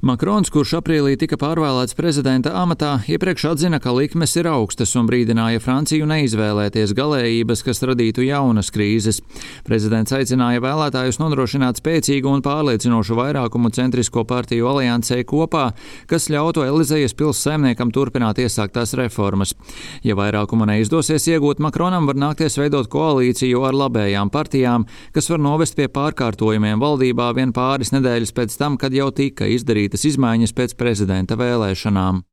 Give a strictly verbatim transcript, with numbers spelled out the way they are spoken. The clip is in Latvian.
Makrons, kurš aprīlī tika pārvēlēts prezidenta amatā, iepriekš atzina, ka likmes ir augstas un brīdināja Franciju neizvēlēties galējības, kas radītu jaunas krīzes. Prezidents aicināja vēlētājus nodrošināt spēcīgu un pārliecinošu vairākumu centrisko partiju aliansē kopā, kas ļautu Elizejas pils saimniekam turpināt iesāktās reformas. Ja vairākumu neizdosies iegūt, Makronam var nākties veidot koalīciju ar labējām partijām, kas var novest pie pārkārtojumiem valdībā vien pāris nedēļas pēc tam, kad jau tika izdarītas izmaiņas pēc prezidenta vēlēšanām.